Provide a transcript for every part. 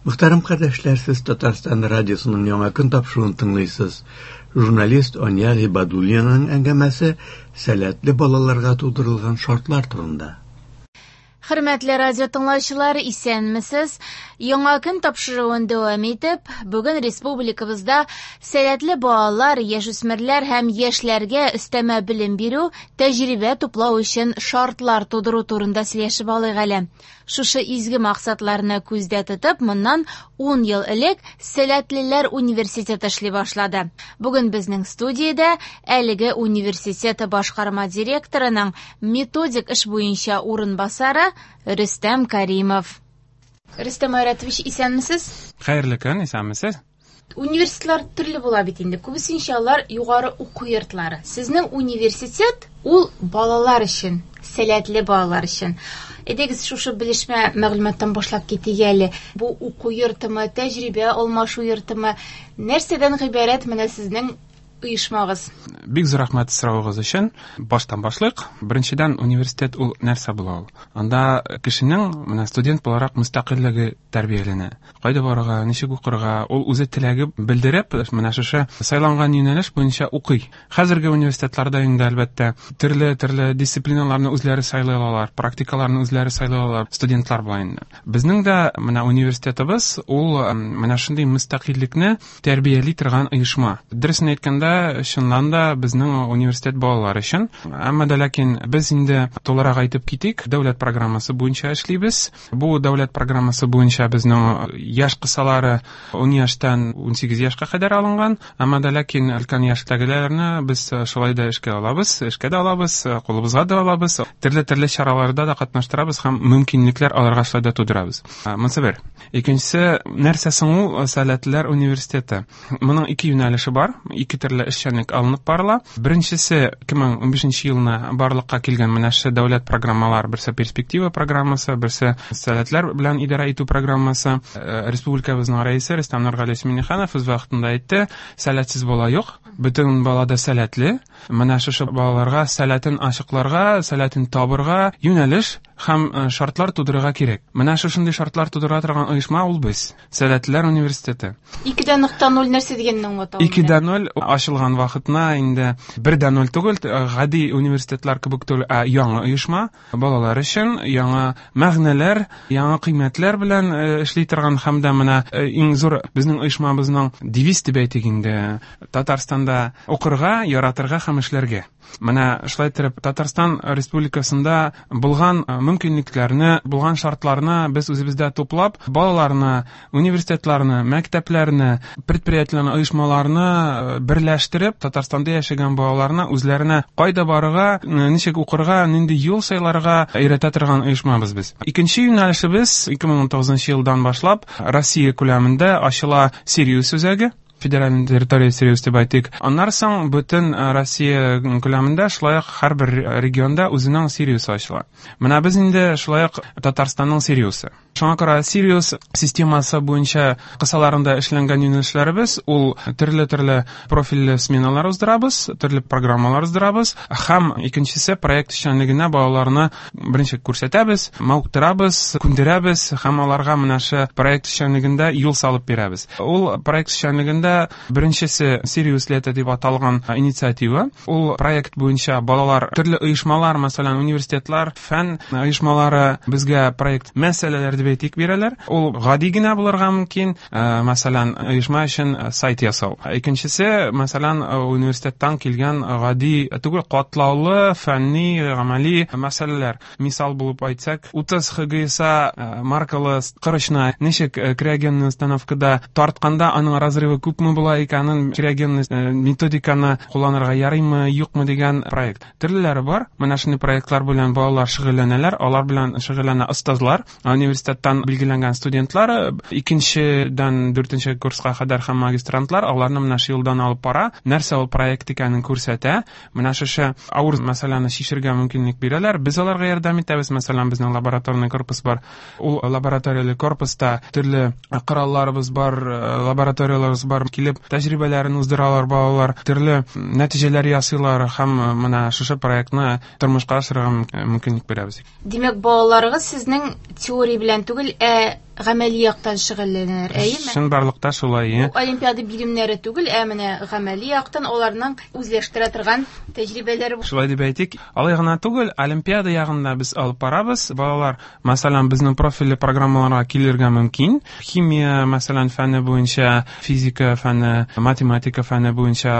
Мөхтәрәм кардәшләр, сез Татарстан радиосының Яңа көн тапшыруын тыңлыйсыз. Журналист Ания Гыйбадуллинаның әңгәмәсе сәләтле балаларга тудырылган шартлар турында. Хөрмәтле радио тыңлаучылар, исәнмесез. Яңа көн тапшыруын дәвам итеп, бүген республикабызда сәләтле балалар, яшүсмерләр һәм яшьләргә өстәмә белем бирү, тәҗрибә туплау өчен шартлар тудыру турында сөйләшеп алыйк әле. Шушы изге максатларны күздә тотып, моннан 10 ел элек Сәләтлеләр университеты эшли башлады. Бүген безнең студиядә әлеге университет башкарма директорының методик эш буенча урынбасары Рөстәм Каримов. Рөстәм Айратович, исәнмесез? Хәерле көн, исәнмесез. Университетлар төрле була бит инде. Күбесенчә алар югары уку йортлары. Сезнең университет ул балалар өчен, сәләтле балалар өчен. Әйдәгез, шушы белешмә мәгълүматтан башлап китик әле. Бу уку йортымы, тәҗрибә алмашу йортымы? Нәрсәдән гыйбарәт менә сезнең оешмагыз? Бик зур рәхмәт соравыгыз өчен. Баштан башлыйк. Беренчедән, университет ул нәрсә була ул? Анда кешенең менә студент буларак мөстәкыйльлеге тәрбияләнә. Кайда барырга, ничек укырга, ул үзе теләге белдереп, менә шушы сайланган юнәлеш буенча укый. Хәзерге университетларда инде, әлбәттә, төрле-төрле дисциплиналарны үзләре сайлый алалар, практикаларны үзләре сайлый алалар, студентлар була инде. Безнең дә менә университетыбыз ул менә шундый мөстәкыйльлекне тәрбияли торган оешма. Дөресен әйткәндә, чыннан да безнең университет балалар өчен. Әмма дә ләкин без инде тулырак әйтеп китик, дәүләт программасы буенча эшлибез. Бу дәүләт программасы буенча безнең яшь кысалары 10 яшьтән 18 яшькә кадәр алынган. Әмма дә ләкин өлкән яшьтәгеләрне без шулай да эшкә алабыз, эшкә дә алабыз, кулыбызга да алабыз. Төрле-төрле чараларда да катнаштырабыз һәм мөмкинлекләр аларга шулай да тудырабыз. Монысы бер. Икенчесе, нәрсә соң ул Сәләтлеләр университеты? Моның ике юнәлеше бар, ике төрле эшчәнлек алынып барыла. Беренчесе 2015 елны барлыкка килгән менә шушы дәүләт программалар, берсе перспектива программасы, берсе сәләтләр белән идарә итү программасы. Республикабызның рәисе Рөстәм Нургалиевич Миңнеханов үз вакытында әйтте, сәләтсез бала юк, бөтен бала да сәләтле. Менә шушы балаларга сәләтен ачыкларга, сәләтен табырга юнәлеш һәм шартлар тудырырга кирәк. Менә шушындый шартлар тудыра торган оешма ул без, Сәләтлеләр университеты. 2.0 нәрсә дигәнне аңлата ул? 2.0 ачылган вакытына инде 1.0 түгел, гади университетлар кебек түгел, ә яңа оешма, балалар өчен яңа мәгънәләр, яңа кыйммәтләр белән эшли торган һәм дә менә иң зур безнең оешмабызның девиз дип әйтик инде, Татарстанда укырга, яратырга һәм эшләргә. Менә шулай итеп Татарстан Республикасында булган мөмкинлекләрне, булган шартларны без үзебездә туплап, балаларны, университетларны, мәктәпләрне, предприятиеләрне, оешмаларны берләштереп, Татарстанда яшәгән балаларны үзләренә кайда барырга, ничек укырга, нинди юл сайларга өйрәтә торган оешмабыз без. Икенче юнәлешебез 2019 елдан башлап Россия күләмендә ачыла Сириус үзәге. Федеральный территория Сириус дип әйтик. Аннан соң бөтен Россия күләмендә шулай ук һәрбер регионда үзенең Сириусы ачыла. Менә без инде шулай ук Татарстанның Сириусы. Шуңа күрә Сириус системасы буенча кысаларында эшләнгән юнәлешләребез ул төрле-төрле профильле сменалар уздырабыз, төрле программалар уздырабыз һәм икенчесе проект эшчәнлегенә балаларны беренче күрсәтәбез, мавыктырабыз, күндерәбез һәм аларга менә шы проект эшчәнлегендә юл салып бирәбез. Ул проект эшчәнлегендә беренчесе Сириус лето дип аталган инициатива. Ул проект буенча балалар төрле оешмалар, мәсәлән, университетлар, фән оешмалары безгә проект мәсьәләләр дип әйтик бирәләр. Ул гади генә булырга мөмкин, мәсәлән, оешма өчен сайт ясау. Икенчесе, мәсәлән, университеттан килгән гади түгел, катлаулы фәнни, гамәли мәсьәләләр. Мисал булып әйтсәк, 30 ХГСА маркалы корычны ничек криогенный установкада тартканда аның разрывы күпме була икәнен, криогенный методиканы кулланырга ярыймы, юкмы дигән проект. Төрлеләре бар. Менә шундый проектлар белән балалар шөгыльләнәләр, алар белән шөгыльләнә остазлар, университеттан билгеләнгән студентлар, икенчедән дүртенче курска кадәр һәм магистрантлар, аларны менә шу юлдан алып бара, нәрсә ул проект икәнен күрсәтә. Менә шушы авыр мәсьәләне чишергә мөмкинлек бирәләр. Без аларга ярдәм итәбез. Мәсәлән, безнең лабораторный корпус бар. Ул лабораторияле корпуста төрле коралларыбыз бар, лабораторияләребез бар. Килеп тәҗрибәләрен уздыралар балалар, төрле нәтиҗәләр ясыйлар һәм менә шушы проектны тормышка ашырырга мөмкинлек бирәбез. Димәк, балаларыгыз сезнең теория белән түгел, ә Гамәли яктан шөгыльләнәләр, әйеме? Чынбарлыкта шулай. Бу олимпиада биремнәре түгел, ә менә гамәли яктан аларның үзләштерә торган тәҗрибәләре. Шулай дип әйтик. Алай гына түгел, олимпиада ягында без алып барабыз. Балалар, мәсәлән, безнең профильле программаларга килергә мөмкин. Химия, мәсәлән, фәне буенча, физика фәне, математика фәне буенча,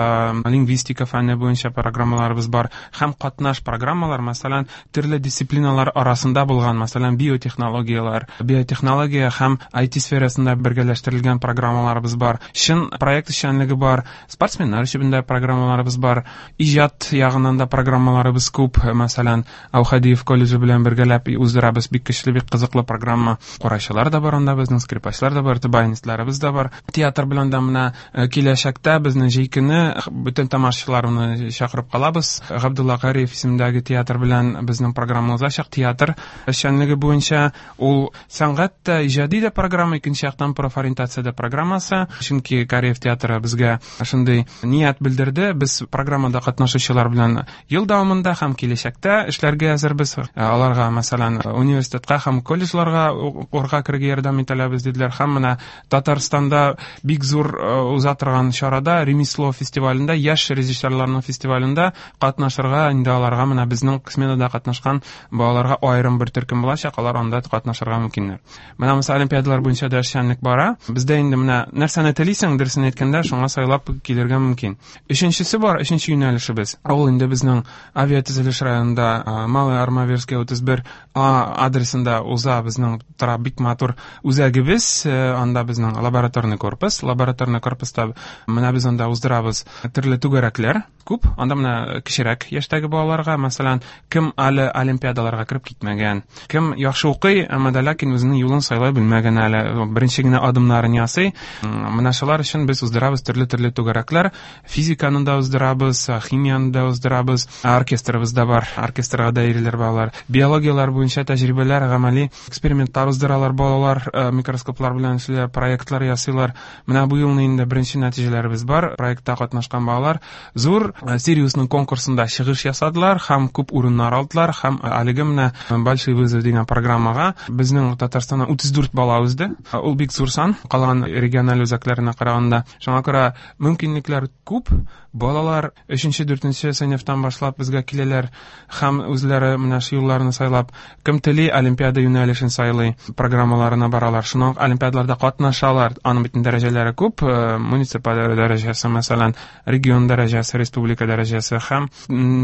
лингвистика фәне буенча программаларыбыз бар. Һәм катнаш программалар, мәсәлән, төрле дисциплиналар арасында булган, мәсәлән, биотехнологияләр, биотехнология һәм IT сферасында бергәләштерелгән программаларыбыз бар. Чын проект эшчәнлеге бар, спортсменнар өчен дә программаларыбыз бар, иҗат ягыннан да программаларыбыз күп. Мәсәлән, Аухадиев колледжы белән бергәләп уздырабыз бик көчле, бик кызыклы программа. Курайчылар да бар анда безнең, скрипачлар да бар, баянистларыбыз да бар. Театр белән дә менә киләчәктә безнең җәй көне бөтен тамашачыларны чакырып калабыз. Габдулла Кариев исемендәге театр белән безнең программа узачак. Театр эшчәнлеге буенча ул сәнгать тә, иҗади дә программа, икенче яктан профориентация дә программасы. Чөнки Кариев театры безгә шундый ният белдерде. Без программада катнашучылар белән ел дәвамында һәм киләчәктә эшләргә әзербез. Аларга, мәсәлән, университетка һәм колледжларга укырга керергә ярдәм итәләбез диделәр. Һәм менә Татарстанда бик зур уза торган чарада, Ремесло фестивалендә, яшь режиссерларның фестивалендә катнашырга инде аларга менә безнең сменада катнашкан балаларга аерым бер төркем булачак, алар анда катнашырга мөмкиннәр. Менә монысы олимпиадалар буенча да эшчәнлек бара. Бездә инде менә нәрсәне телисең, дөресен әйткәндә, шуңа сайлап килергә мөмкин. Өченчесе бар, өченче юнәлешебез. Ул инде безнең авиатөзелеш районында Малая Армавирская 31 А адресында уза безнең тора бик матур үзәгебез, анда безнең лабораторный корпус. Лабораторный корпуста менә без анда уздырабыз төрле түгәрәкләр күп. Анда менә кечерәк яшьтәге балаларга, мәсәлән, кем әле олимпиадаларга кереп китмәгән, кем яхшы укый, әмма дә ләкин үзенең юлын сайлай белмәгән әле, беренче генә адымнарын ясый. Менә шулар өчен без уздырабыз төрле-төрле түгәрәкләр. Физиканы да уздырабыз, химияны да уздырабыз, оркестрыбыз да бар, оркестрга да йөриләр балалар. Биологияләр буенча тәҗрибәләр, гамәли экспериментлар уздыралар балалар, микроскоплар белән эшлиләр, проектлар ясыйлар. Менә бу елны инде беренче нәтиҗәләребез бар. Проектта катнашкан балалар зур Сириусның конкурсында чыгыш ясадылар һәм күп урыннар алдылар һәм әлеге менә Большой вызов дигән программага безнең Татарстаннан 34 бала узды. Ул бик зур сан, калган региональ үзәкләренә караганда. Шуңа күрә мөмкинлекләр күп. Балалар өченче, дүртенче сыйныфтан башлап безгә киләләр һәм үзләре менә шу юлларны сайлап, кем тели, олимпиада юнәлешен сайлый, программаларына баралар. Шуннан олимпиадаларда катнашалар. Аның бит дәрәҗәләре күп, муниципаль дәрәҗәсе, мәсәлән, регион дәрәҗәсе, республика дәрәҗәсе һәм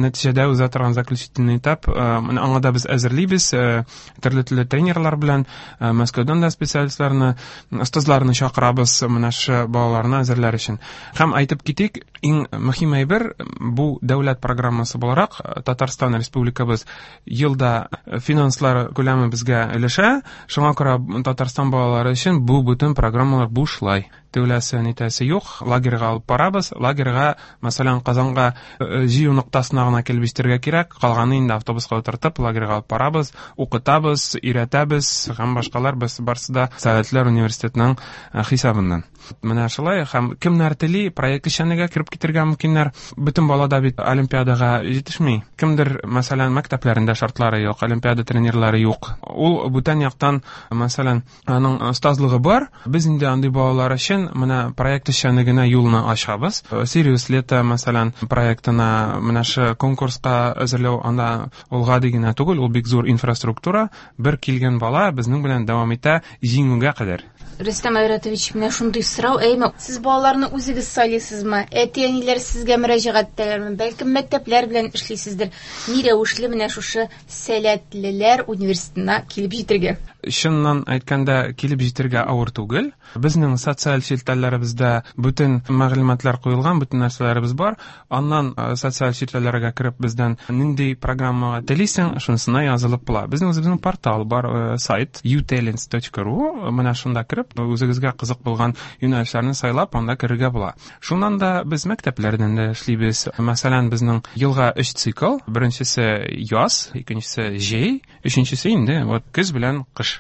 нәтиҗәдә уза торган заключительный этап. Менә аңа да без әзерлибез, төрле-төрле тренерлар белән, Мәскәүдән дә специалистларны, остазларны чакырабыз менә шу балаларны әзерләр өчен. Һәм әйтеп китик, иң мөһим әйбер, бу дәүләт программасы буларак Татарстан Республикабыз елда финанслар күләме безгә өләшә. Шуңа күрә Татарстан балалары өчен бу бөтен программалар бушлай. Түләсе, нитәсе юк. Лагерьга алып барабыз. Лагерьга, мәсәлән, Казанга җыю ноктасына гына килеп җитәргә кирәк. Калганы инде автобуска утыртып, лагерьга алып барабыз, укытабыз, өйрәтәбез һәм башкалар. Без барсы да Сәләтләр университетының хисабыннан. Менә шулай, һәм кемнәр тели, проект эшчәнлегенә кереп китергә мөмкиннәр. Бөтен бала да бит олимпиадага җитешми. Кемдер, мәсәлән, мәктәпләрендә шартлары юк, олимпиада тренерлары юк. Ул бүтән яктан, мәсәлән, аның остазлыгы бар. Без инде андый балалар өчен менә проект эшчәнлегенә юлны ачабыз. Сириус лето, мәсәлән, проектына менә шу конкурска әзерләү, анда ул гади генә түгел, ул бик зур инфраструктура. Бер килгән бала безнең белән дәвам итә җиңүгә кадәр. Рөстәм Айратович, менә шундый сорау, әйме, сез балаларны үзегез сайлыйсызмы? Әти-әниләр сезгә мөрәҗәгать итәләрме? Бәлкем мәктәпләр белән эшлисездер. Ни рәвешле менә шушы Сәләтлеләр университетына килеп җитергә? Чыннан әйткәндә, килеп җитергә авыр түгел. Безнең социаль челтәрләребездә бөтен мәгълүматлар куелган, бөтен нәрсәләребез бар. Аннан социаль челтәрләргә кереп, бездән нинди программага телисең, шунысына язылып була. Безнең үзебезнең портал бар, сайт utalents точка ru. Менә шунда кереп, үзегезгә кызык булган юнәлешләрне сайлап, анда керергә була. Шуннан да без мәктәпләрдән дә эшлибез. Мәсәлән, безнең елга 3 цикл. Беренчесе яз, икенчесе җәй, өченчесе инде вот көз белән кыш.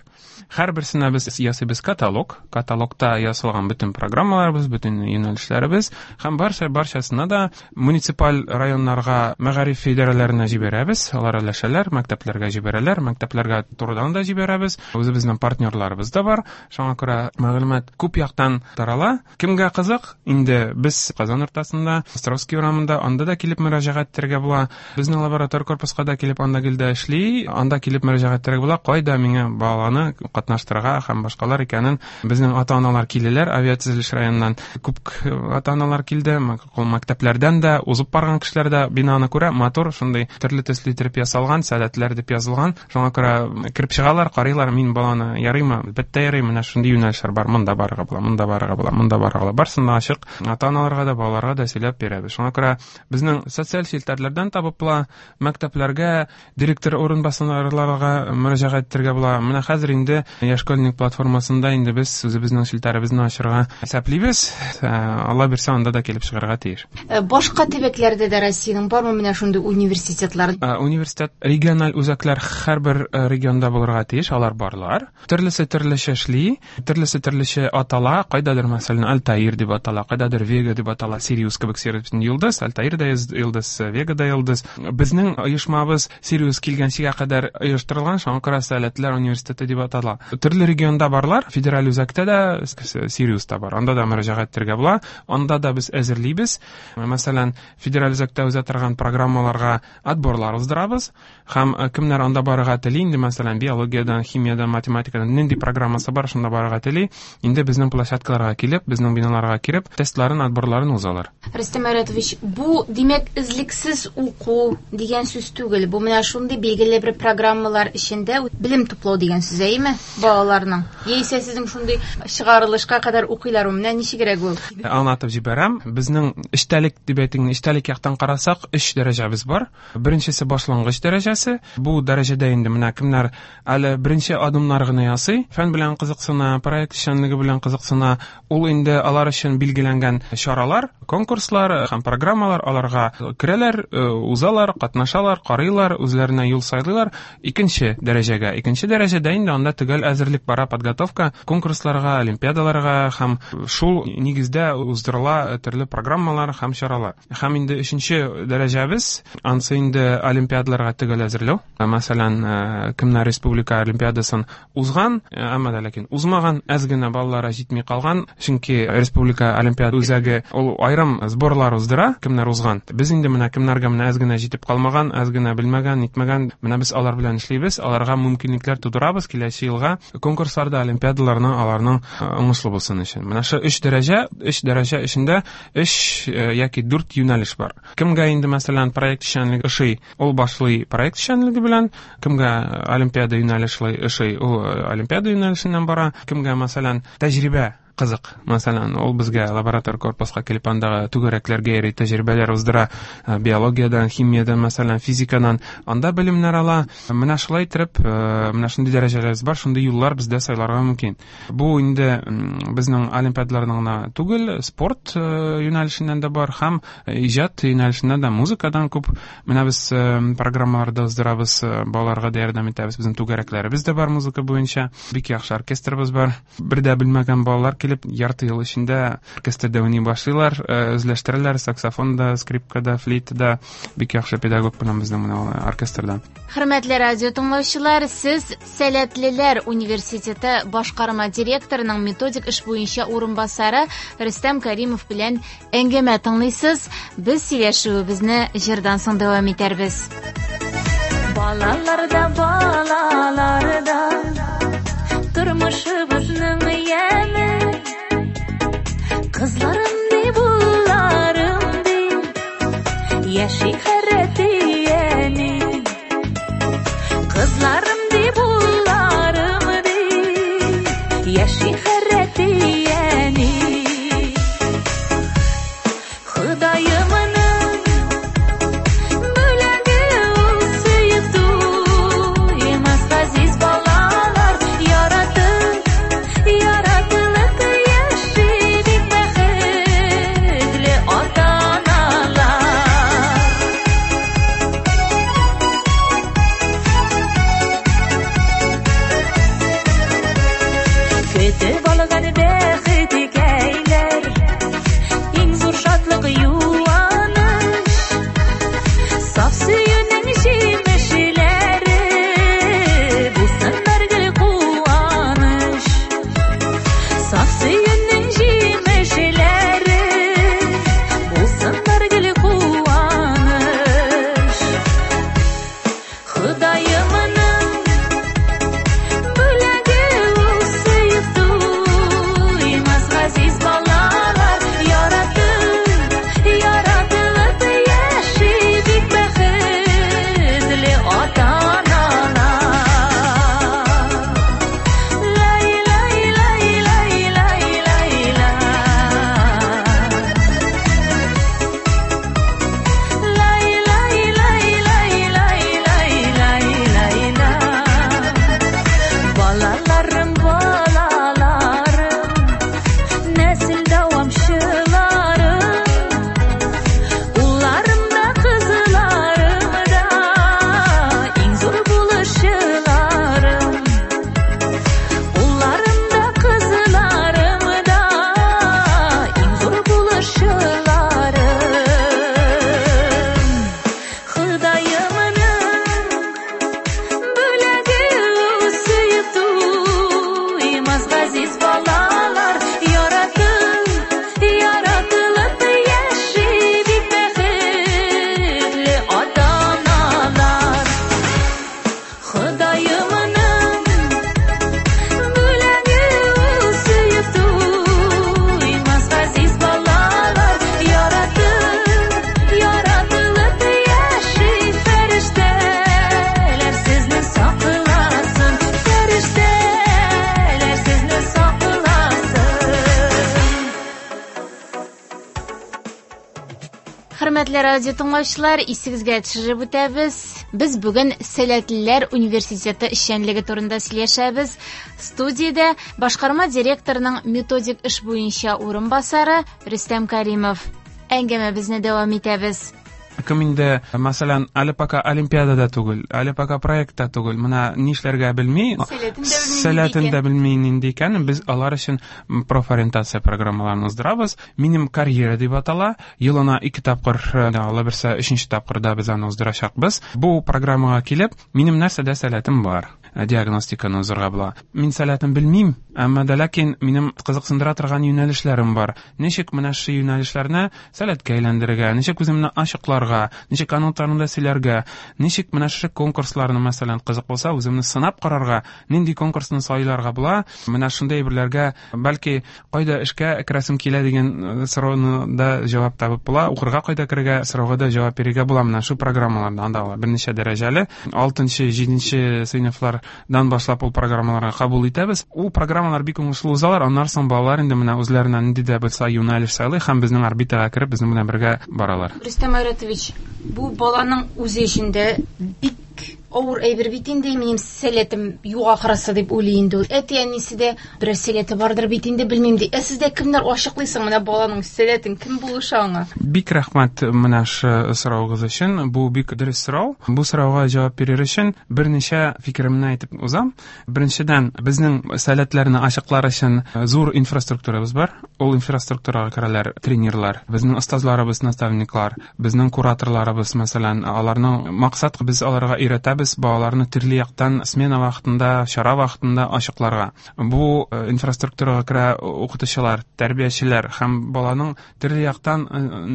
Һәрберсенә без ясыйбыз каталог. Каталогта ясалган бөтен программаларыбыз, бөтен юнәлешләребез һәм барчасына да муниципаль районнарга, мәгариф идарәләренә җибәрәбез. Алар өләшәләр, мәктәпләргә җибәрәләр, мәктәпләргә турыдан да җибәрәбез. Үзебезнең партнерларыбыз да бар. Шуңа күрә мәгълүмат күп яктан тарала. Кемгә кызык, инде без Казан уртасында, Островский урамында, анда да килеп мөрәҗәгать итәргә була. Безнең лаборатор корпуска да килеп, анда гел дә эшли, анда килеп мөрәҗәгать итәргә була. Кайда миңа баланы катнаштырырга һәм башкалар икәнен безнең ата-аналар киләләр, авиатөзелеш районыннан күп ата-аналар килде, мәктәпләрдән дә, узып барган кешеләр дә бинаны күрә, матур, шундый төрле төсле итеп ясалган, сәләтләр дип язылган. Шуңа күрә кереп чыгалар, карыйлар, мин баланы ярыймы? Әлбәттә ярый, менә шундый юнәлешләр бар, монда барырга була, монда барырга була, монда барырга була. Барысын да ачык ата-аналарга да, балаларга да сөйләп бирәбез. Шуңа күрә безнең социаль челтәрләрдән табып була, мәктәпләргә, директор урынбасарларга мөрәҗәгать итәргә була. Менә хәзер инде Яшь школьник платформасында инде без үзебезнең челтәребезне ачырга исәплибез. Алла бирсә, анда да килеп чыгарга тиеш. Башка төбәкләрдә дә Россиянең бармы менә шундый университетлар? Университет, региональ үзәкләр һәрбер регионда булырга тиеш, алар барлар. Төрлесе төрлечә эшли, төрлесе төрлечә атала. Кайдадыр, мәсәлән, Альтаир дип атала, кайдадыр Вега дип атала, Сириус кебек. Сириус йолдыз, Альтаир да йолдыз, Вега да йолдыз. Безнең оешмабыз Сириус килгәнчегә кадәр оештырылган, шуңа күрә Сәләтләр университеты дип атала. Төрле регионда барлар, федераль үзәктә дә Сириус та бар. Анда да мөрәҗәгать итәргә була. Анда да без әзерлибез. Мәсәлән, федераль үзәктә уза торган программаларга отборлар уздырабыз. Һәм кемнәр анда барырга тели, инде, мәсәлән, биологиядән, химиядән, математикадан нинди программасы бар, шунда барырга тели, инде безнең площадкаларга килеп, безнең биналарга кереп, тестларын, отборларын узалар. Рөстәм Айратович, бу, димәк, өзлексез уку дигән сүз түгел. Бу менә шундый билгеле бер программалар эчендә белем туплау дигән сүз, әйеме, балаларның? Яисә сезнең шундый чыгарылышка кадәр укыйлармы? Менә ничегрәк ул? Аңлатып җибәрәм. Безнең эчтәлек дип әйтик, эчтәлек яктан карасак, өч дәрәҗәбез бар. Беренчесе башлангыч дәрәҗәсе. Бу дәрәҗәдә инде менә кемнәр әле беренче адымнар гына ясый, фән белән кызыксына, проект эшчәнлеге белән кызыксына, ул инде алар өчен билгеләнгән чаралар, конкурслар һәм программалар, аларга керәләр, узалар, катнашалар, карыйлар, үзләренә юл сайлыйлар. Икенче дәрәҗәгә. Икенче дәрәҗәдә инде анда төгәл әзерлек бара, подготовка конкурсларга, олимпиадаларга һәм шул нигездә уздырыла төрле программалар һәм чаралар. Һәм инде өченче дәрәҗәбез, ансы инде олимпиадаларга төгәл әзерләү. Мәсәлән, кемнәр республика олимпиадасын узган, әмма дә ләкин узмаган, әз генә баллары җитми калган, чөнки республика олимпиада үзәге ул аерым сборлар уздыра, кемнәр узган. Без инде менә кемнәргә менә әз генә җитеп калмаган, әз генә белмәгән, нитмәгән, менә без алар белән эшлибез, аларга мөмкинлекләр тудырабыз киләсе елга конкурсларда, олимпиадаларны аларның уңышлы булсын өчен. Менә шу өч дәрәҗә, өч дәрәҗә эчендә өч яки дүрт юнәлеш бар. Кемгә инде, мәсәлән, проект эшчәнлеге ошый, ул башлый проект эшчәнлеге белән, кемгә олимпиада юнәлеше ошый, ул олимпиада юнәлешеннән бара, кемгә, мәсәлән, тәҗрибә кызык, мәсәлән, ул безгә лаборатор корпуска килеп андагы түгәрәкләргә йөри, тәҗрибәләр уздыра, биологиядән, химиядән, мәсәлән, физикадан, анда белемнәр ала. Менә шулай итеп, менә шундый дәрәҗәләребез бар, шундый юллар бездә сайларга мөмкин. Бу инде безнең олимпиадаларның гына түгел, спорт юнәлешеннән дә бар һәм иҗат юнәлешеннән дә, музыкадан күп. Менә без программаларда уздырабыз, балаларга да ярдәм итәбез. Безнең түгәрәкләребез дә бар музыка буенча. Бик яхшы оркестрыбыз бар. Бер дә белмәгән балалар килеп, ярты ел эчендә оркестрда уйный башлыйлар, үзләштерәләр саксофонда, скрипкада, флейтада. Бик яхшы педагог белән безнең менә оркестрда. Хөрмәтле радио тыңлаучылар, сез Сәләтлеләр университеты башкарма директорының методик эш буенча урынбасары Рөстәм Каримов белән әңгәмә тыңлыйсыз. Без сөйләшүебезне җырдан соң дәвам итәрбез. Балаларда, балаларда тормышыбызның яме. Кызларым ди, булларым ди, яши хәрәтияни. Кызларым ди, булларым ди, яши хәрәтияни. Ходаемның бүләге ул сөеп туймас газиз балалар, яратып, яратылып яши бик бәхетле ата-аналар. Салган бәхеткәйләр, иң зур шатлык юаныч, саф сөюнең җимешләре, булсыннар гел куаныч. Саф сөюнең җимешләре, булсыннар гел куаныч. Ходаемның бүләге ул сөеп туймас газиз балалар, яратып, яратылып яши бик бәхетле ата-аналар. Лай, лай, лай, лай, лай, лай, лай. Лай, лай, лай, лай, лай, лай, лай, лай, лай. Балаларым, балаларым, нәсел дәвамчыларым, улларым да, кызларым да, иң зур булышчыларым. Улларым да, кызларым да, иң зур булышчыларым. Ходаемның бүләге ул сөеп туймас газиз балалар, яратып, яратылып яши бик бәхетле ата-аналар. Ходаемның бүләге ул сөеп туймас газиз балалар, яратып, яратылып яши фәрештәләр сезне сакласын, фәрештәләр сезне сакласын. Хөрмәтле радио тыңлаучылар, исегезгә төшереп үтәбез. Без бүген Сәләтлеләр университеты эшчәнлеге турында сөйләшәбез. Студиядә башкарма директорның методик эш буенча урынбасары Рөстәм Каримов. Әңгәмәбезне дәвам итәбез. Кем инде, мәсәлән, әле пока олимпиадада түгел, әле пока проектта түгел, менә нишләргә белми, Сәләтен дә белми нинди сәләтен икән. дә белми нинди икән, без алар өчен профориентация программаларын уздырабыз. Минем карьера дип атала. Елына 2 тапкыр, алла бирсә, 3 тапкырда без аны уздырачакбыз. Бу программага килеп, минем нәрсәдә сәләтем бар, диагностиканы узырга була. Мин сәләтен белмим, әмма дә ләкин минем кызыксындыра торган юнәлешләрем бар. Ничек менә шул юнәлешләрне сәләткә әйләндерергә, ничек үземне ачыкларга, ничек аның турында сөйләргә, ничек менә шушы конкурсларны, мәсәлән, кызык булса, үземне сынап карарга, нинди конкурсны сайларга була, менә шундый әйберләргә, бәлки кайда эшкә керәсем килә дигән сорауны да җавап табып була, укырга кайда керергә сорауга да җавап бирергә була. Менә шу программаларда анда алар берничә дәрәҗәле, 6-нчы, 7-нче сыйныфлардан башлап ул программаларга кабул итәбез. Ул программалар бик уңышлы узалар, аннан соң балалар инде менә үзләренә нинди дә булса юнәлеш сайлый һәм безнең орбитага кереп, безнең белән бергә баралар. Рөстәм Айратович, бу баланың үзе өчен дә бик авыр әйбер бит инде, минем сәләтем юк ахрысы дип уйлый инде ул. Әти-әнисе дә берәр сәләте бардыр бит инде, белмим ди. Ә сездә кемнәр ачыклыйсың менә баланың сәләтен, кем булыша аңа? Бик рәхмәт менә шы соравыгыз өчен. Бу бик дөрес сорау. Бу сорауга җавап бирер өчен берничә фикеремне әйтеп узам. Беренчедән, безнең сәләтләрне ачыклар өчен зур инфраструктурабыз бар. Ул инфраструктурага керәләр тренерлар, безнең остазларыбыз, наставниклар, безнең кураторларыбыз, мәсәлән, аларның максат без аларга өйрәтәбез балаларны төрле яктан смена вакытында, чара вакытында ачыкларга. Бу инфраструктурага керә укытучылар, тәрбиячеләр һәм баланың төрле яктан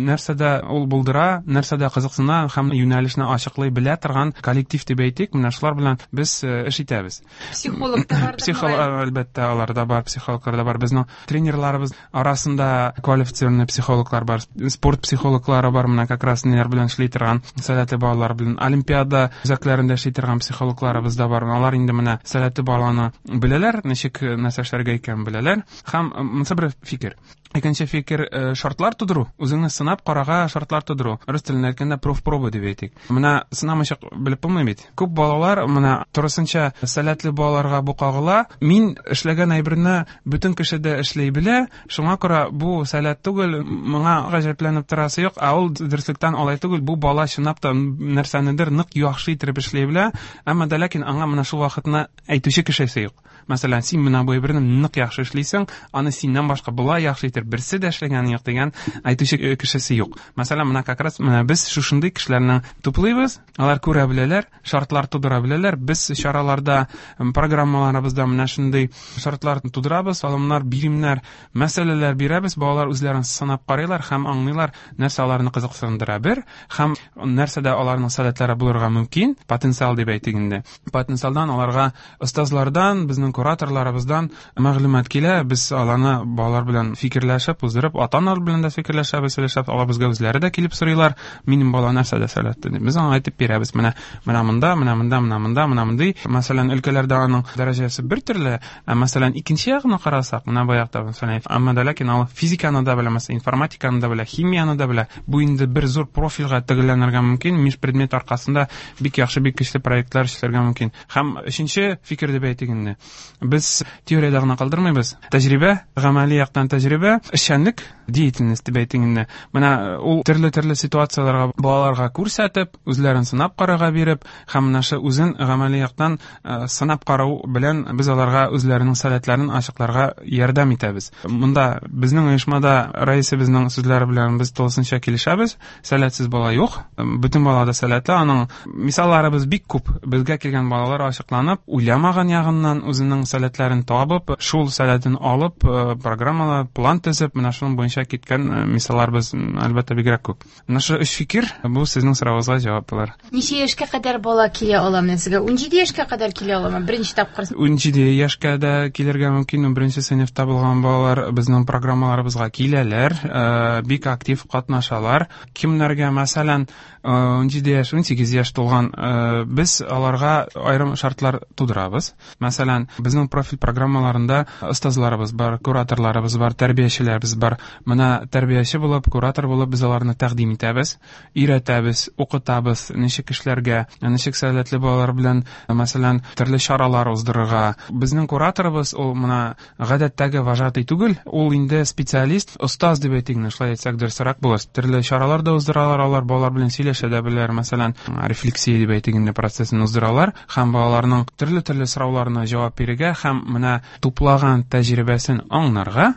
нәрсәдә ул булдыра, нәрсәдә кызыксына һәм юнәлешне ачыклый белә торган коллектив дип әйтик, менә шулар белән без эш итәбез. Психолог та бар, Психолог, әлбәттә, алар да бар, психологлар да бар. Безнең тренерларыбыз арасында квалифицированный психологлар бар, спорт психологлары бар, менә как раз ниләр белән эшли торган, сәләтле балалар белән олимпиада үзәкләрендә эшли торган психологларыбыз да бар. Алар инде менә сәләтле баланы беләләр, ничек нәрсә эшләргә икәнен беләләр. Һәм монысы бер фикер. Икенче фикер, шартлар тудыру, үзеңне сынап карага шартлар тудыру. Рус телендә әйткәндә профпроба дип әйтик. Менә сынамыйча белеп булмый бит. Күп балалар менә турысынча сәләтле балаларга бу кагыла. Мин эшләгән әйберне бөтен кеше дә эшли белә, шуңа күрә бу сәләт түгел, моңа гаҗәпләнеп торасы юк, ә ул дөреслектән алай түгел. Бу бала чынлап та нәрсәнедер нык яхшы итеп эшли эшли белә, әмма дә ләкин аңа менә шул вакытны әйтүче кешесе юк. Мәсәлән, син менә бу әйберне нык яхшы эшлисең, аны синнән башка болай яхшы итеп берсе дә эшләгәне юк дигән әйтүче кешесе юк. Мәсәлән, менә как раз менә без шушындый кешеләрне туплыйбыз, алар күрә беләләр, шартлар тудыра беләләр. Без чараларда, программаларыбызда менә шундый шартлар тудырабыз, алымнар, биремнәр, мәсьәләләр бирәбез, балалар үзләрен сынап карыйлар һәм аңлыйлар, нәрсә аларны кызыксындыра бер, һәм нәрсәдә аларның сәләтләре булырга мөмкин, потенциал дип әйтик инде. Потенциалдан аларга остазлардан, безнең кураторларыбыздан мәгълүмат килә, без аларны балалар белән фикерләшеп, уздырып, ата-аналар белән дә фикерләшәбез, сөйләшәбез, алар безгә үзләре дә килеп сорыйлар, минем бала нәрсәдә сәләтле дип. Без аңа әйтеп бирәбез, менә менә монда, менә монда, менә монда, менә мондый. Мәсәлән, өлкәләрдә аның дәрәҗәсе бер төрле, ә мәсәлән, икенче ягына карасак, менә бу якта, мәсәлән, әмма дә ләкин ул физиканы да белә, мәсәлән, информатиканы да белә, химияне дә белә. Бу инде бер зур профильгә төгәлләнергә мөмкин, межпредмет аркасында бик яхшы, бик көчле проектлар эшләргә мөмкин. Һәм өченче фикер дип әйтик инде. Без теориядә генә калдырмыйбыз. Тәҗрибә, гамәли яктан тәҗрибә, эшчәнлек, деятельность дип әйтик инде. Менә ул төрле-төрле ситуацияләргә балаларга күрсәтеп, үзләрен сынап карарга биреп, һәм менә шу үзен гамәли яктан сынап карау белән без аларга үзләренең сәләтләрен ачыкларга ярдәм итәбез. Монда безнең оешмада рәисебезнең сүзләре белән без тулысынча килешәбез. Сәләтсез бала юк. Бөтен бала да сәләтле. Аның мисалларыбыз бик күп. Безгә килгән балалар ачыкланып, уйламаган ягыннан үзенең сәләтләрен табып, шул сәләтен алып, программалар, план төзеп, менә шуның буенча киткән мисалларыбыз, әлбәттә, бигрәк күп. Менә шул өч фикер, бу сезнең соравыгызга җавап булыр. Ничә яшькә кадәр бала килә ала менә сезгә? 17 яшькә кадәр килә аламы? Беренче тапкыр. 17 яшькә дә килергә мөмкин. Беренче сыйныфта булган балалар безнең программаларыбызга киләләр, бик актив катнашалар. Кемнәргә, мәсәлән, 17 яшь, 18 яшь тулган, без аларга аерым шартлар тудырабыз. Мәсәлән, безнең профиль программаларында остазларыбыз бар, кураторларыбыз бар, тәрбиячеләребез бар. Менә тәрбияче булып, куратор булып без аларны тәкъдим итәбез, өйрәтәбез, укытабыз, ничек эшләргә, ничек сәләтле балалар белән, мәсәлән, төрле чаралар уздырырга. Безнең кураторыбыз ул менә гадәттәге вожатый түгел, ул инде специалист, остаз дип әйтик, шулай әйтсәк дөресрәк булыр. Төрле чаралар да уздыралар, алар балалар белән сөйләшә дә беләләр, мәсәлән, рефлексия дип әйтик инде процессын уздыралар һәм балаларның төрле-төрле сорауларына җавап бирергә һәм менә туплаган тәҗрибәсен аңларга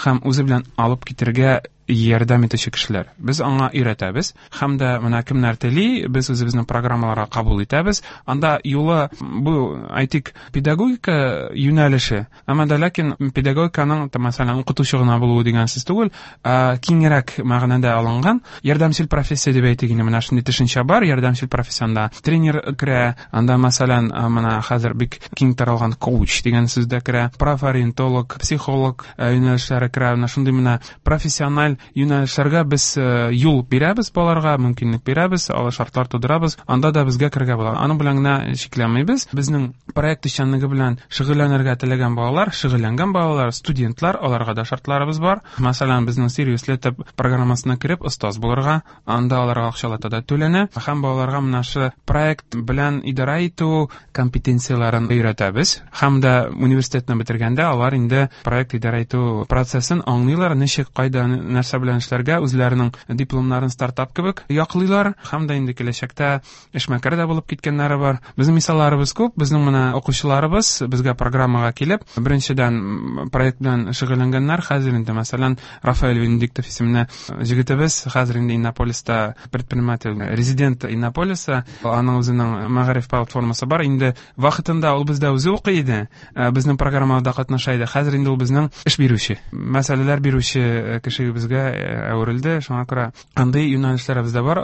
һәм үзе белән алып китергә ярдәм итүче кешеләр. Без аңа өйрәтәбез һәм дә менә кемнәр тели, без үзебезнең программаларга кабул итәбез. Анда юлы бу, әйтик, педагогика юнәлеше, әмма дә ләкин педагогиканың, мәсәлән, укытучы гына булуы дигән сүз түгел, ә киңрәк мәгънәдә алынган ярдәмчел профессия дип әйтик инде, менә шундый төшенчә бар, ярдәмчел профессионда тренер керә, анда, мәсәлән, менә хәзер бик киң таралган коуч дигән сүз дә керә, профориентолог, психолог юнәлешләре керә, менә шундый менә профессиональ юнәлешләргә без юл бирәбез балаларга, мөмкинлек бирәбез, алар шартлар тудырабыз, анда да безгә керергә була. Аның белән генә чикләнмибез. Безнең проект эшчәнлеге белән шөгыльләнергә теләгән балалар, шөгыльләнгән балалар, студентлар, аларга да шартларыбыз бар. Мәсәлән, безнең Сириус Лето программасына кереп остаз булырга, анда аларга акчалата да түләнә һәм балаларга менә шу проект белән идарә итү компетенцияләрен өйрәтәбез. Һәм дә университетны бетергәндә алар инде проект идарә итү процессын аңлыйлар, ничек, кайда, нәрсә белән эшләргә, үзләренең дипломнарын стартап кебек яклыйлар һәм дә инде киләчәктә эшмәкәр дә булып киткәннәре бар. Безнең мисалларыбыз күп, безнең менә укучыларыбыз безгә программага килеп, беренчедән проект белән шөгыльләнгәннәр, хәзер инде, мәсәлән, Рафаэль Венедиктов исемле җегетебез хәзер инде Иннополиста предприниматель, резидент Иннополиса, аның үзенең мәгариф платформасы бар. Инде вакытында ул бездә үзе укый иде, безнең программада катнаша иде. Хәзер инде ул безнең эш бирүче, мәсьәләләр бирүче кешебезгә әверелде. Шуңа күрә андый юнәлешләребез дә бар.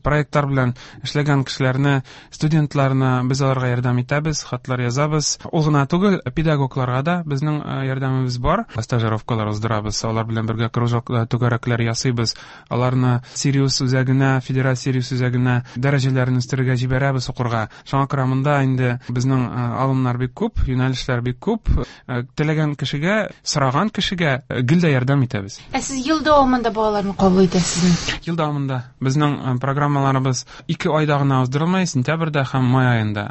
Проектлар белән эшләгән кешеләрне, студентларны без аларга ярдәм итәбез, хатлар язабыз. Ул гына түгел, педагогларга да безнең ярдәмебез бар. Стажировкалар уздырабыз, алар белән бергә кружок, түгәрәкләр ясыйбыз. Аларны Сириус үзәгенә, федераль Сириус үзәгенә дәрәҗәләрен үстерергә җибәрәбез укырга. Шуңа күрә монда инде безнең алымнар бик күп, юнәлешләр бик күп. Теләгән кешегә, сораган кешегә гел дә ярдәм итәбез. Ә сез ел Ел дәвамында балаларны кабул итәсезме? Ел дәвамында. Безнең программаларыбыз 2 айда гына уздырылмый, сентябрьдә һәм май аенда.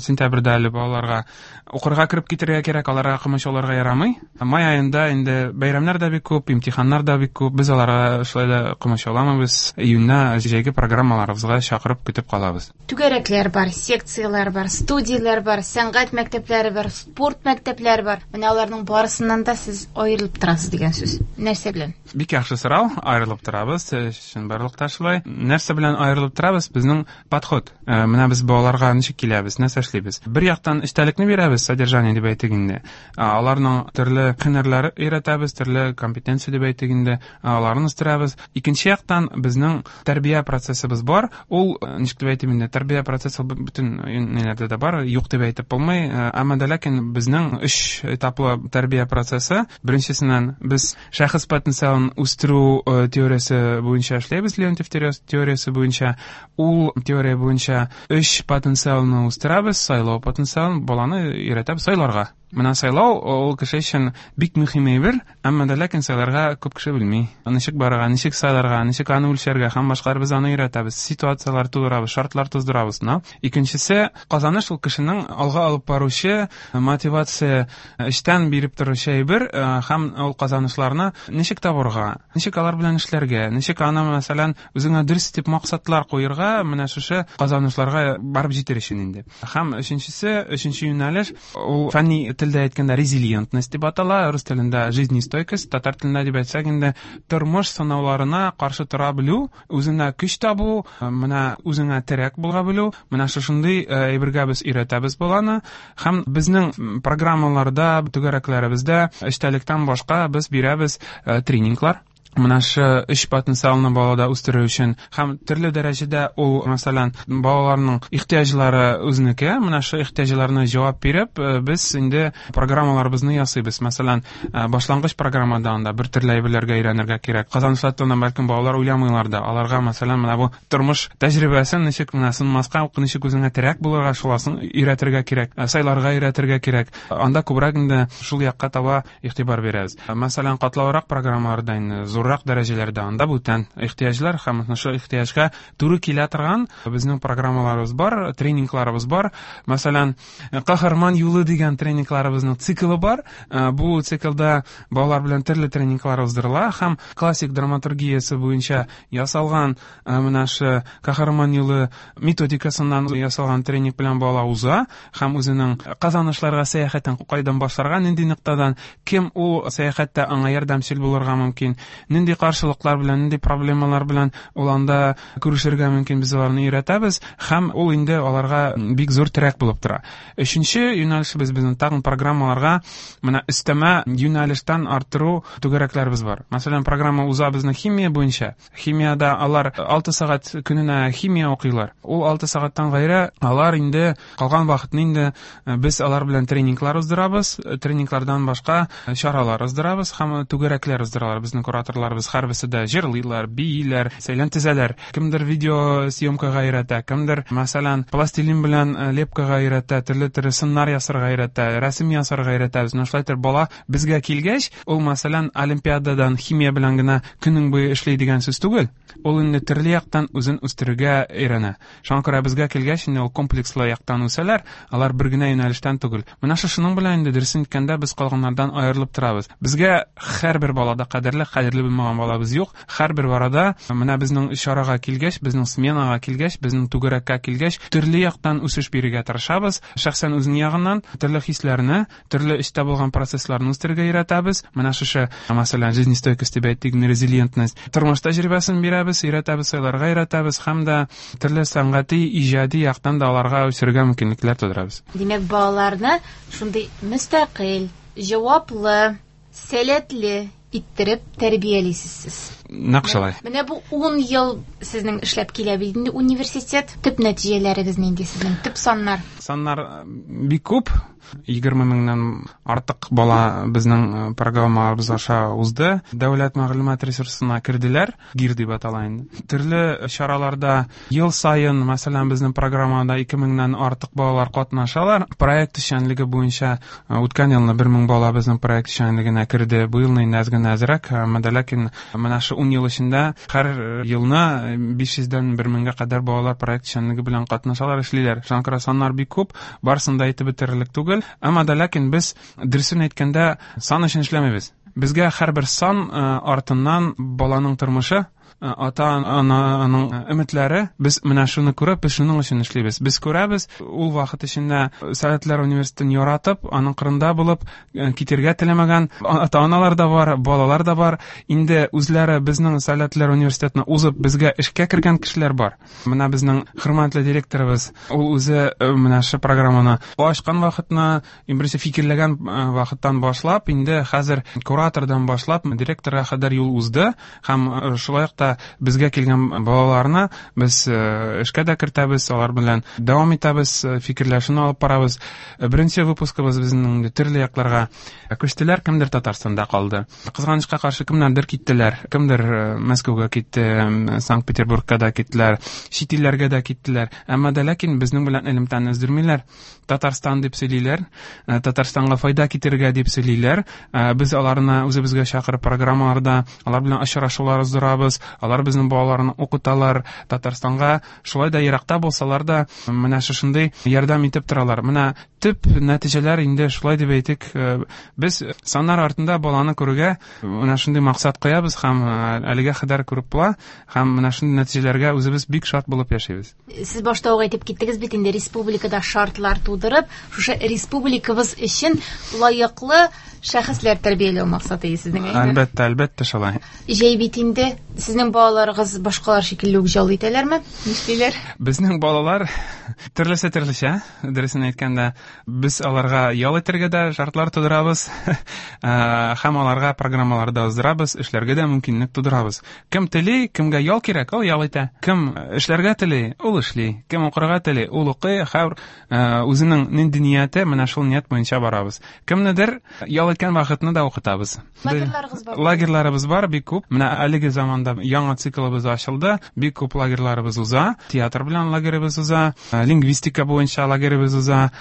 Сентябрьдә әле балаларга укырга кереп китәргә кирәк, аларга комачауларга ярамый. Май аенда инде бәйрәмнәр дә бик күп, имтиханнар да бик күп. Без аларга шулай да комачауламыйбыз. Июньдә җәйге программаларыбызга чакырып көтеп калабыз. Түгәрәкләр бар, секцияләр бар, студияләр бар, сәнгать мәктәпләре бар, спорт мәктәпләре бар. Менә аларның барысыннан да сез аерылып торасыз дигән сүз. Нәрсә белән? Бик яхшы сорау. Аерылып торабыз, чынбарлыкта шулай. Нәрсә белән аерылып торабыз? Безнең подход. Менә без балаларга ничек киләбез, нәрсә эшлибез? Бер яктан эчтәлекне бирәбез, содержание дип әйтик инде. Аларның төрле һөнәрләре өйрәтәбез, төрле компетенция дип әйтик инде, аларны үстерәбез. Икенче яктан безнең тәрбия процессыбыз бар. Ул, ничек дип әйтим инде, тәрбия процессы бөтен ниләрдә дә бар, юк дип әйтеп булмый. Әмма дә ләкин безнең өч этаплы тәрбия процессы. Беренчесеннән без шәхес потенциалын үстерү теориясе буенча эшләйбез, Леонтьев теориясе буенча. Ул теория буенча өч потенциалны үстерәбез, сайлау потенциалын, баланы өйрәтәбез сайларга. Менә сайлау ул кеше өчен бик мөһим әйбер, әмма дә ләкин сайларга күп кеше белми. Ничек барырга, ничек сайларга, ничек аны үлчәргә һәм башкалар без аны өйрәтәбез, ситуацияләр тудырабыз, шартлар туздырабыз. Но икенчесе, казаныш ул кешенең алга алып баручы мотивация эчтән биреп торучы әйбер, һәм ул казанышларны ничек табырга, ничек алар белән эшләргә, ничек аны, мәсәлән, үзеңә дөрес дип максатлар куерга, менә шушы казанышларга барып җитер өчен инде. Һәм өченчесе, өченче юнәлеш, ул фәнни телдә әйткәндә резилиентность дип атала, рус телендә жизнестойкость, татар телендә дип әйтсәк инде тормыш сынауларына каршы тора белү, үзеңә көч табу, менә үзеңә терәк була белү, менә шушындый әйбергә без өйрәтәбез баланы. Һәм безнең программаларда, түгәрәкләребездә эчтәлектән башка без бирәбез тренинглар. Менә шу өч потенциалны балада үстерү өчен һәм төрле дәрәҗәдә ул, мәсәлән, балаларның ихтыяҗлары үзенеке, менә шу ихтыяҗларына җавап биреп, без инде программаларыбызны ясыйбыз. Мәсәлән, башлангыч программада анда бер төрле әйберләргә өйрәнергә кирәк. Казанышлар турында бәлкем балалар уйламыйлар да. Аларга, мәсәлән, менә бу тормыш тәҗрибәсен ничек менә сынмаска, ничек үзеңә терәк булырга, шуласын өйрәтергә кирәк, сайларга өйрәтергә кирәк. Анда күбрәк инде шул якка таба игътибар бирәбез. Мәсәлән, катлаулырак программаларда инде зуррак дәрәҗәләрдә анда бүтән ихтыяҗлар һәм шул ихтыяҗга туры килә торган безнең программаларыбыз бар, тренингларыбыз бар. Мәсәлән, Каһарман юлы дигән тренингларыбызның циклы бар. Бу циклда балалар белән төрле тренинглар уздырыла һәм классик драматургиясе буенча ясалган менә шу Каһарман юлы методикасыннан ясалган тренинг белән бала уза һәм үзенең казанышларга сәяхәтен кайдан башларга, нинди ноктадан, кем ул сәяхәттә аңа ярдәмчел булырга мөмкин, нинди каршылыклар белән, нинди проблемалар белән ул анда күрешергә мөмкин, без аларны өйрәтәбез һәм ул инде аларга бик зур терәк булып тора. Өченче юнәлешебез безнең тагын программаларга менә өстәмә юнәлештән арттыру түгәрәкләребез бар. Мәсәлән, программа уза безнең химия буенча. Химияда алар 6 сәгать көненә химия укыйлар. Ул 6 сәгатьтән гайре алар инде калган вакытны инде без алар белән тренинглар уздырабыз, тренинглардан башка чаралар уздырабыз һәм түгәрәкләр уздыралар. Безнең кураторларыбыз һәрберсе дә җырлыйлар, бииләр, сәйлән тезәләр. Кемдер видеосъемкага өйрәтә, кемдер, мәсәлән, пластилин белән лепкага өйрәтә, төрле-төрле сыннар ясарга өйрәтә, рәсем ясарга өйрәтә. Менә шулай итеп бала безгә килгәч, ул, мәсәлән, олимпиададан химия белән генә көнең буе эшли дигән сүз түгел. Ул инде төрле яктан үзен үстерергә өйрәнә. Шуңа күрә безгә килгәч, инде ул комплекслы яктан үсәләр, алар бер генә юнәлештән түгел. Менә шушының белән инде дөресен әйткәндә без калганнардан аерылып торабыз. Безгә һәрбер балада кадерле, кадерле булмаган балабыз юк. Һәрбер барада менә безнең чарага килгәч, безнең сменага килгәч, безнең түгәрәккә килгәч, төрле яктан үсеш бирергә тырышабыз. Шәхсән үзенең ягыннан төрле хисләрне, төрле эчтә булган процессларны үстерергә өйрәтәбез. Менә шушы, мәсәлән, жизнестойкость дип әйтик, резилиентность. Тормыш тәҗрибәсен бирәбез, өйрәтәбез, сайларга өйрәтәбез һәм дә төрле сәнгати, иҗади яктан да аларга үсергә мөмкинлекләр тудырабыз. Димәк, балаларны шундый мөстәкыйль, җаваплы, сәләтле иттереп тәрбиялисез сез. Нәкъ шулай. Менә бу 10 ел сезнең эшләп килә бит инде университет. Төп нәтиҗәләрегез нинди сезнең? Төп саннар? Саннар бик күп. 20 меңнән артык бала безнең программаларыбыз аша узды. Дәүләт мәгълүмат ресурсына керделәр, ГИР дип атала инде. Төрле чараларда ел саен, мәсәлән, безнең программада 2 меңнән артык балалар катнашалар. Проект эшчәнлеге буенча үткән елны 1 мең бала безнең проект эшчәнлегенә керде. Бу елны инде әз генә әзрәк, әмма дә ләкин менә шу 10 ел эчендә һәр елны 500дән 1 меңгә кадәр балалар проект эшчәнлеге белән катнашалар, эшлиләр. Шуңа күрә саннар бик күп, барысын да әйтеп бетерерлек түгел. Әмма дә ләкин без, дөресен әйткәндә, сан өчен эшләмибез. Безгә һәрбер сан артыннан баланың тормышы, ата-ананың өметләре, без менә шуны күреп, без шуның өчен эшлибез. Без күрәбез, ул вакыт эчендә Сәләтләр университетын яратып, аның кырында булып, китергә теләмәгән ата-аналар да бар, балалар да бар. Инде үзләре безнең Сәләтләр университетына узып, безгә эшкә кергән кешеләр бар. Менә безнең хөрмәтле директорыбыз, ул үзе менә шу программаны ачкан вакытны, иң беренче фикерләгән вакыттан башлап, инде хәзер куратордан башлап директорга кадәр юл узды һәм шулай ук та безгә килгән балаларны без эшкә дә кертәбез, алар белән дәвам итәбез, фикерләшүне алып барабыз. Беренче выпускыбыз безнең инде төрле якларга күчтеләр, кемдер Татарстанда калды. Кызганычка каршы, кемнәрдер киттеләр, кемдер Мәскәүгә китте, Санкт-Петербургка да киттеләр, чит илләргә дә киттеләр. Әмма дә ләкин безнең белән элемтәне өздермиләр. Татарстан дип сөйлиләр, Татарстанга файда китерергә дип сөйлиләр. Без аларны үзебезгә чакырып программаларда алар белән очрашулар уздырабыз, алар безнең балаларны укыталар. Татарстанга шулай да еракта булсалар да менә шушындый ярдәм итеп торалар. Менә төп нәтиҗәләр инде шулай дип әйтик, без саннар артында баланы күрүгә менә шундый максат куябыз һәм әлегә кадәр күреп була һәм менә шундый нәтиҗәләргә үзебез бик шат булып яшибез. Сез башта ук әйтеп киттегез бит инде, республикада шартлар тудырып, шушы республикабыз өчен лаеклы шәхесләр тәрбияләү максаты сезнең, әйеме? Әлбәттә, әлбәттә шулай. Җәй бит инде, сезнең балаларыгыз башкалар шикелле үк ял итәләрме? Нишлиләр? Безнең балалар төрлесе төрлечә, дөресен әйткәндә, без аларга ял итәргә дә шартлар тудырабыз, һәм аларга программалар да уздырабыз, эшләргә дә мөмкинлек тудырабыз. Кем тели, кемгә ял кирәк, ул ял итә. Кем эшләргә тели, ул эшли. Кем укырга тели, ул укый. Һәр үзенең нинди нияте, менә шул ният буенча барабыз. Кемнедер ял иткән вакытны да укытабыз. Лагерьларыгыз бар? Лагерьларыбыз бар, бик күп. Менә әлеге заманда яңа циклыбыз ачылды. Бик күп лагерьларыбыз уза. Театр белән лагеребыз уза, лингвистика буенча лагеребыз уза,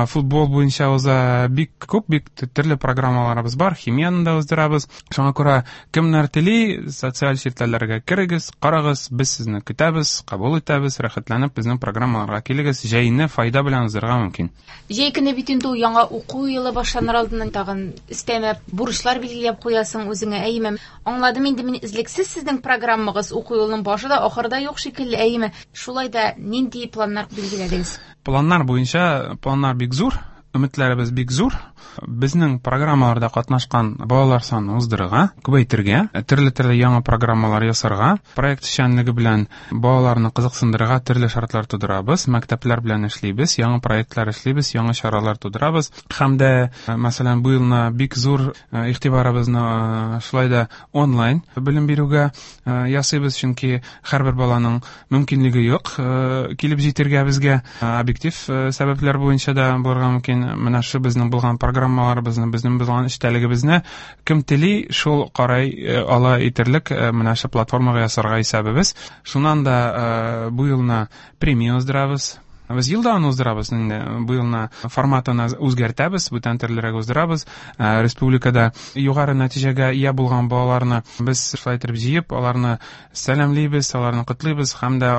футбол буенча уза. Бик күп, бик төрле программаларыбыз бар. Химияны да уздырабыз. Шуңа күрә кемнәр тели, социаль челтәрләргә керегез, карагыз, без сезне көтәбез, кабул итәбез, рәхәтләнеп безнең программаларга килегез. Җәйне файда белән уздырырга мөмкин. Җәй көне бит инде ул яңа уку елы башланыр алдыннан тагын өстәмә бурычлар билгеләп куясың үзеңә, әйеме? Аңладым инде мин, өзлексез сезнең программагыз уку елының башы да, ахыры да юк шикелле, әйеме? Шулай да нинди планнар билгеләдегез? Планнар буенча планнар бик зур, өметләребез бик зур. Безнең программаларда катнашкан балалар санын уздырырга, күбәйтергә, төрле-төрле яңа программалар ясарга, проект эшчәнлеге белән балаларны кызыксындырырга төрле шартлар тудырабыз, мәктәпләр белән эшлибез, яңа проектлар эшлибез, яңа чаралар тудырабыз. Һәм дә, мәсәлән, бу елны бик зур игътибарыбызны шулай да онлайн белем бирүгә ясыйбыз, чөнки һәрбер баланың мөмкинлеге юк килеп җитергә безгә, объектив сәбәпләр буенча да булырга мөмкин. Менә шу безнең булган программаларыбызны, безнең булган эчтәлегебезне кем тели, шул карай ала итерлек менә шу платформага ясарга исәбебез. Шуннан да бу елны премия уздырабыз. Без елда аны уздырабыз, инде бу елны форматын үзгәртәбез, бүтән төрлерәк уздырабыз. Республикада югары нәтиҗәгә ия булган балаларны без шулай итеп җыеп, аларны сәламлибез, аларны котлыйбыз һәм дә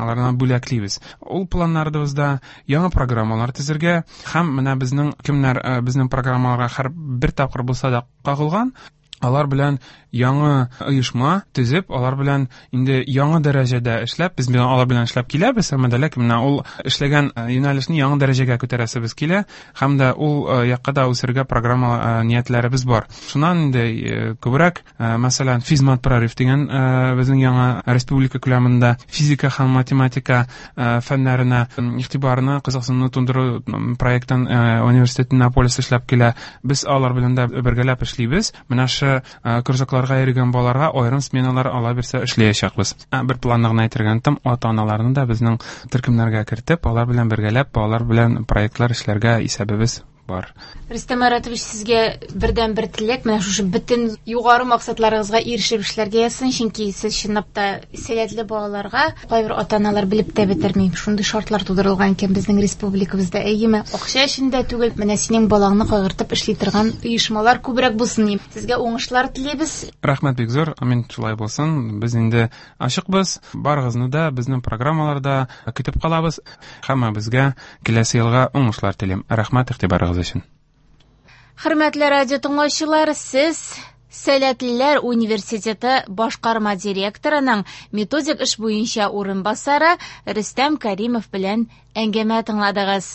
аларны бүләклибез. Ул планнарыбызда яңа программалар төзергә һәм менә безнең кемнәр безнең программаларга һәр бер тапкыр булса да кагылган, алар белән яңа оешма төзеп, алар белән инде яңа дәрәҗәдә эшләп, без алар белән эшләп киләбез, әмма дә ләкин менә ул эшләгән юнәлешне яңа дәрәҗәгә күтәрәсебез килә һәм дә ул якка да үсергә программа ниятләребез бар. Шуннан инде күбрәк, мәсәлән, физмат прорыв дигән безнең яңа республика күләмендә физика һәм математика фәннәренә игътибарны, кызыксынуны тудыру проектын университет Иннополис эшләп килә. Без алар белән дә бергәләп эшлибез. Менә шу шушы кружокларга йөргән балаларга аерым сменалар ала бирсә эшләячәкбез. Бер планны гына әйтергә оныттым, ата-аналарны да безнең төркемнәргә кертеп, алар белән бергәләп, балалар белән проектлар эшләргә исәбебез бар. Рөстәм Маратович, сезгә бердән-бер теләк, менә шушы бөтен югары максатларыгызга ирешеп эшләргә язсын, чөнки сез чынлап та сәләтле балаларга кайбер ата-аналар белеп тә бетерми. Шундый шартлар тудырылган икән безнең республикабызда. Әйеме, акча өчен дә түгел, менә синең балаңны кайгыртып эшли торган оешмалар күбрәк булсын дим. Сезгә уңышлар телибез. Рәхмәт бик зур. Амин, шулай булсын. Без инде ачыкбыз. Барыгызны да безнең программаларда көтеп калабыз. Һәммәбезгә киләсе елга уңышлар телим. Рәхмәт игътибарыгыз өчен. Хөрмәтле радио тыңлаучылар, сез Сәләтлеләр университеты башкарма директорының методик эш буенча урынбасары Рөстәм Каримов белән әңгәмә тыңладыгыз.